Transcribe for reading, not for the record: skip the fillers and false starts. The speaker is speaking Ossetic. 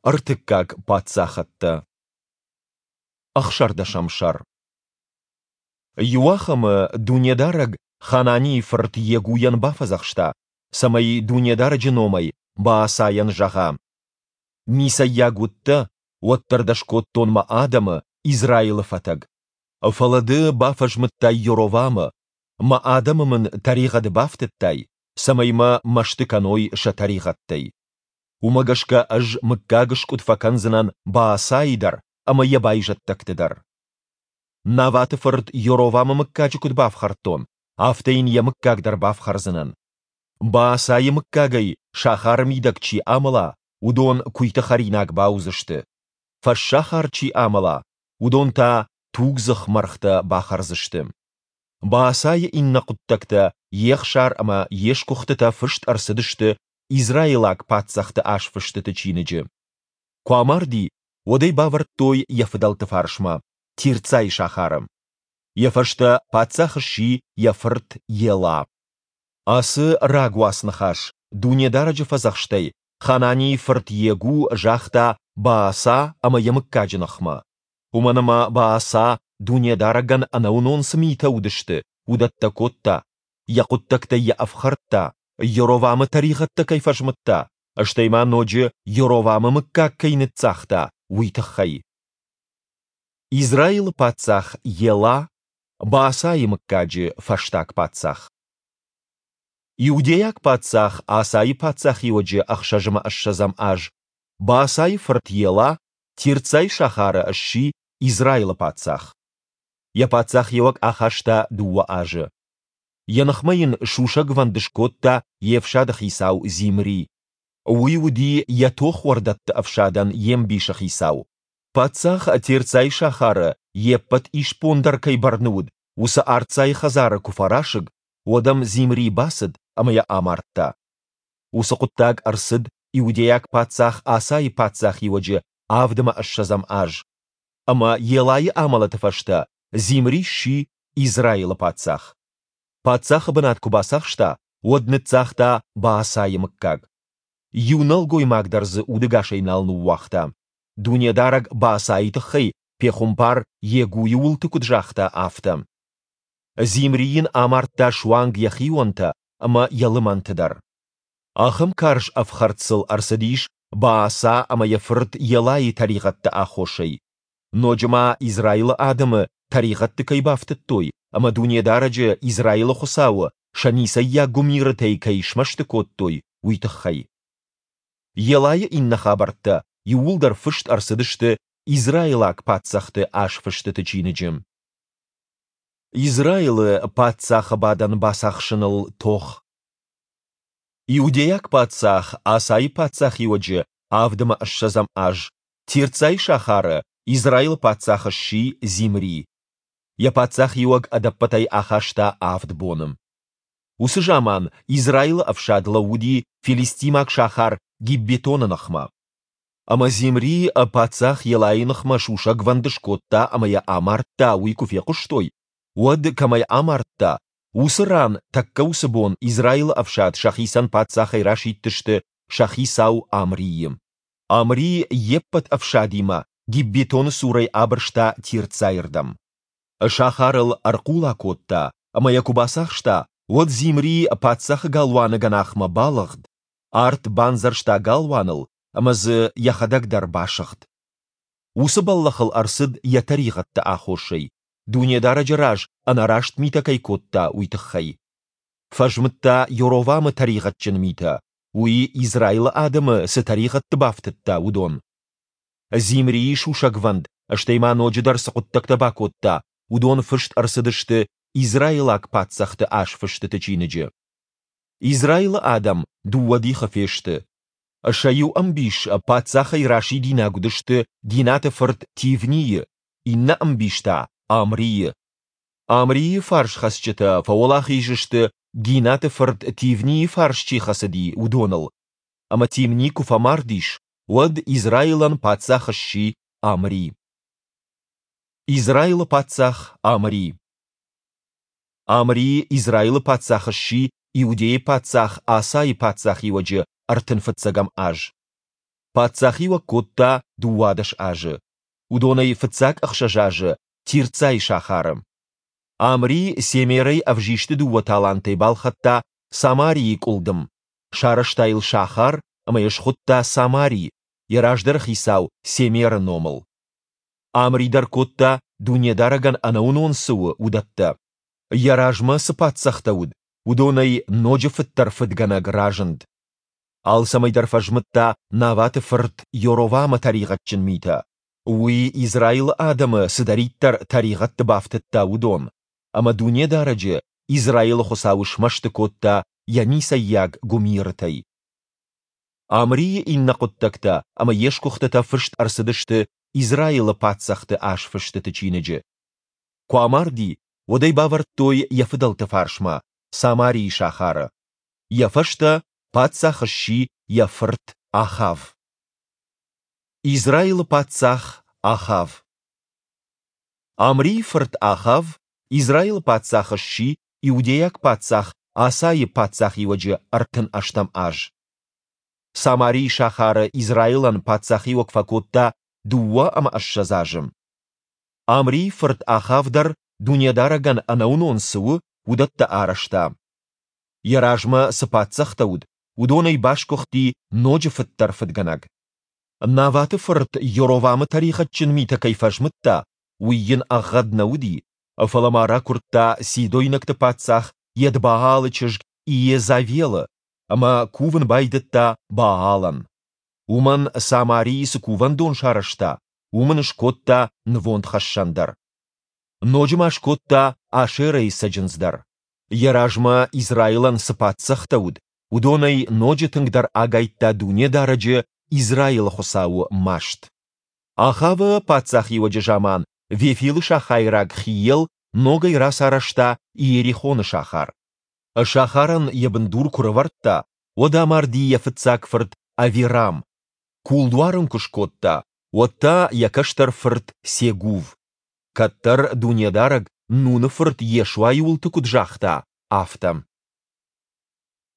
Ӕртыккаг паддзахӕдтӕ. Ӕхсӕрдӕсӕм сӕр. Иуахӕмы Дунедарӕг Хананийы фырт Йегуйӕн бафӕдзӕхста, цӕмӕй Дунедарӕджы номӕй Баасайӕн зӕгъа: Ницӕййаг уыдтӕ, уӕддӕр дӕ скодтон мӕ адӕмы, Израилы фӕтӕг. Фӕлӕ ды бафӕзмыдтай Йоровамы, мӕ адӕмы мын тӕригъӕды бафтыдтай, цӕмӕй мӕ мӕсты кӕной сӕ тӕригъӕдтӕй. Уымӕ гӕсгӕ ӕз мыггагыскъуыд фӕкӕндзынӕн Баасайы дӕр ӕмӕ йӕ байзӕддӕгты дӕр. Наваты фырт Йоровамы мыггаджы куыд бафхӕрдтон, афтӕ йын йӕ мыггаг дӕр бафхӕрдзынӕн. Баасайы мыггагӕй сахары мидӕг чи амӕла, уыдон куыйты хӕринаг бауыдзысты. Фӕссахар чи амӕла, уыдон та тугдзых мӕргътӕ бахӕрдзысты. Баасайы иннӕ хъуыддӕгтӕ, йе хсар ӕмӕ йе сгуыхтытӕ фыст ӕрцыдысты израилаг паддзӕхты азфыстыты чиныджы. Куы амарди, уӕд ӕй бавӕрдтой йӕ фыдӕлты фарсмӕ, Тирцайы сахары. Йӕ фӕстӕ паддзах сси йӕ фырт Ела. Ацы рагуац ныхас Дунедарӕджы фӕдзӕхстӕй Хананийы фырт Йегу загъта Бааса ӕмӕ йӕ мыггаджы ныхмӕ. Уымӕн ӕмӕ Бааса, Дунедарӕгӕн ӕнӕуынон цы митӕ уыдысты, уыдӕттӕ кодта, йӕ хъуыддӕгтӕй йӕ ӕфхӕрдта, Йоровамы тӕригъӕдтӕ кӕй фӕзмыдта, стӕй ма ноджы Йоровамы мыггаг кӕй ныццагъта, уый тыххӕй. Израилы паддзах Ела, Баасайы мыггаджы фӕстаг паддзах. Иудейаг паддзах Асайы паддзахиуӕджы ӕхсӕзӕмӕ ссӕдзӕм аз Баасайы фырт Ела Тирцайы сахары сси Израилы паддзах. Йӕ паддзахиуӕг ахаста дыууӕ азы. Йӕ ныхмӕ йын сусӕгвӕнд скодта йе фсады хицау Зимри. Уый уыди йӕ тохуӕрдӕтты ӕфсадӕн йе мбисы хицау. Паддзах Тирцайы сахары йе ппӕт исбон дӕр кӕй бӕрны уыд, уыцы Арцайы хӕдзары куы фӕрасыг, уӕд ӕм Зимри бацыд ӕмӕ йӕ амардта. Уыцы хъуыддаг ӕрцыд иудейаг паддзах Асайы паддзахиуӕджы авд ӕмӕ ссӕдзӕм аз. Ӕмӕ Елайы амӕлӕты фӕстӕ Зимри сси Израилы паддзах. Паддзахы бынат куы бацахста, уӕд ныццагъта Баасайы мыггаг. Иу нӕлгоймаг дӕр дзы удӕгасӕй нал ныууагъта. Дунедарӕг Баасайы тыххӕй пехуымпар Йегуйы уылты куыд загъта, афтӕ. Зимри йын амардта суанг йӕ хионтӕ ӕмӕ йӕ лымӕнты дӕр. Ахӕм карз ӕфхӕрд сыл ӕрцыдис Бааса ӕмӕ йӕ фырт Елайы тӕригъӕдты аххосӕй. Ноджы ма Израилы адӕмы тӕригъӕдты кӕй бафтыдтой ӕмӕ Дунедарӕджы, Израилы Хуыцауы, сӕ ницӕййаг гуымирытӕй кӕй смӕсты кодтой, уый тыххӕй. Елайы иннӕ хабӕрттӕ иууылдӕр фыст ӕрцыдысты израилаг паддзӕхты азфыстыты чиныджы. Израилы паддзахы бадӕн бацахсыныл тох. Иудейаг паддзах Асайы паддзахиуӕджы авд ӕмӕ ссӕдзӕм аз Тирцайы сахары Израилы паддзах сси Зимри. Йӕ паддзахиуӕг ӕдӕппӕтӕй ахаста авд боны. Уыцы заман Израилы ӕфсад лӕууыди филистимаг сахар Гиббетоны ныхмӕ. Ӕмӕ Зимри паддзах Елайы ныхмӕ сусӕгвӕнд скодта ӕмӕ йӕ амардта, уый куы фехъуыстой, уӕд, кӕм ӕй амардта, уыцы ран тӕккӕ уыцы бон Израилы ӕфсад сӕхицӕн паддзахӕй расидтысты сӕ хицау Амрийы. Амри йе ппӕт ӕфсадимӕ Гиббетоны цурӕй абырста Тирцайы рдӕм. Сахарыл ӕрхъула кодта, ӕмӕ йӕ куы бацахста, уӕд Зимри паддзахы галуаны гӕнахмӕ балыгъд, арт бандзӕрста галуаныл ӕмӕ дзы йӕхӕдӕг дӕр басыгъд. Уыцы бӕллӕх ыл ӕрцыд йӕ тӕригъӕдты аххосӕй, Дунедарӕджы раз ӕнӕраст митӕ кӕй кодта, уый тыххӕй. Фӕзмыдта Йоровамы тӕригъӕдджын митӕ, уый Израилы адӕмы цы тӕригъӕдты бафтыдта, уыдон. Зимрийы сусӕгвӕнд, стӕй ма ноджыдӕр цы хъуыддӕгтӕ бакодта, уыдон фыст ӕрцыдысты израилаг паддзӕхты азфыстыты чиныджы. Израилы адӕм дыууӕ дихы фесты. Сӕ иу ӕмбис паддзахӕй расидинаг уыдысты Гинаты фырт Тивнийы, иннӕ ӕмбис та Амрийы. Амрийы фарсхӕцджытӕ фӕуӕлахиз сты, Гинаты фырт Тивнийы фарс чи хӕцыди, уыдоныл. Ӕмӕ Тимни куы фӕмард ис, уӕд Израилӕн паддзах сси Амри. Израилы паддзах Амри. Амри Израилы паддзах сси Иудейы паддзах Асайы паддзахиуӕджы ӕртын фыццӕгӕм аз. Паддзахиуӕг кодта 12 азы, уыдонӕй фыццаг ӕхсӕз азы Тирцайы сахары. Амри Семерӕй ӕвзисты дыууӕ талантӕй балхӕдта Самарийы къуылдым, сарӕзта йыл сахар ӕмӕ йӕ схуыдта Самари, йӕ раздӕры хицау Семеры номыл. Амри дӕр кодта, Дунедарӕгӕн ӕнӕуынон цы у, уыдӕттӕ. Йӕ размӕ цы паддзӕхтӕ уыд, уыдонӕй ноджы фыддӕр фыдгӕнӕг разынд. Алцӕмӕй дӕр фӕзмыдта Наваты фырт Йоровамы тӕригъӕдджын митӕ, уый Израилы адӕмы цыдӕриддӕр тӕригъӕдты бафтыдта, уыдон, ӕмӕ Дунедарӕджы, Израилы Хуыцауы смӕсты кодта йӕ ницӕййаг гуымирытӕй. Амрийы иннӕ хъуыддӕгтӕ ӕмӕ йе сгуыхтытӕ фыст ӕрцыдысты Израилы паддзӕхты азфыстыты чиныджы. Куы амарди, уӕд ӕй бавӕрдтой йӕ фыдӕлты фарсмӕ, Самарийы сахары. Йӕ фӕстӕ паддзах сси йӕ фырт Ахав. Израилы паддзах Ахав. Амрийы фырт Ахав Израилы паддзах сси иудейаг паддзах Асайы паддзахиуӕджы 38 аз. Самарийы сахары Израилӕн паддзахиуӕг фӕкодта 22 азы. Амрийы фырт Ахав дӕр Дунедарӕгӕн ӕнӕуынон цы у, уыдӕттӕ арӕзта. Йӕ размӕ цы паддзӕхтӕ уыд, уыдонӕй басгуыхти ноджы фыддӕр фыдгӕнӕг. Наваты фырт Йоровамы тӕригъӕдджын митӕ кӕй фӕзмыдта, уый йын ӕгъгъӕд нӕ уыди, фӕлӕ ма ракуырдта сидойнӕгты паддзах Едбаалы чызг Иезавелы ӕмӕ кувын байдыдта Баалӕн. Уымӕн Самарийы цы кувӕндон сарӕзта, уым ын скодта нывондхӕссӕн дӕр. Ноджы ма скодта Ашерӕйы цӕджындз дӕр. Йӕ размӕ Израилӕн цы паддзӕхтӕ уыд, уыдонӕй ноджы тынгдӕр агайдта Дунедарӕджы, Израилы Хуыцауы, маст. Ахавы паддзахиуӕджы заман Вефилы сахайраг Хиел ногӕй рацарӕзта Иерихоны сахар. Сахарӕн йӕ бындур куы рывӕрдта, уӕд амарди йӕ фыццаг фырт Авирам. Кулдуар ын куы скодта, уӕд та йӕ кӕстӕр фырт Сегув. Кӕддӕр Дунедарӕг Нуны фырт Йешуайы уылты куыд загъта, афтӕ.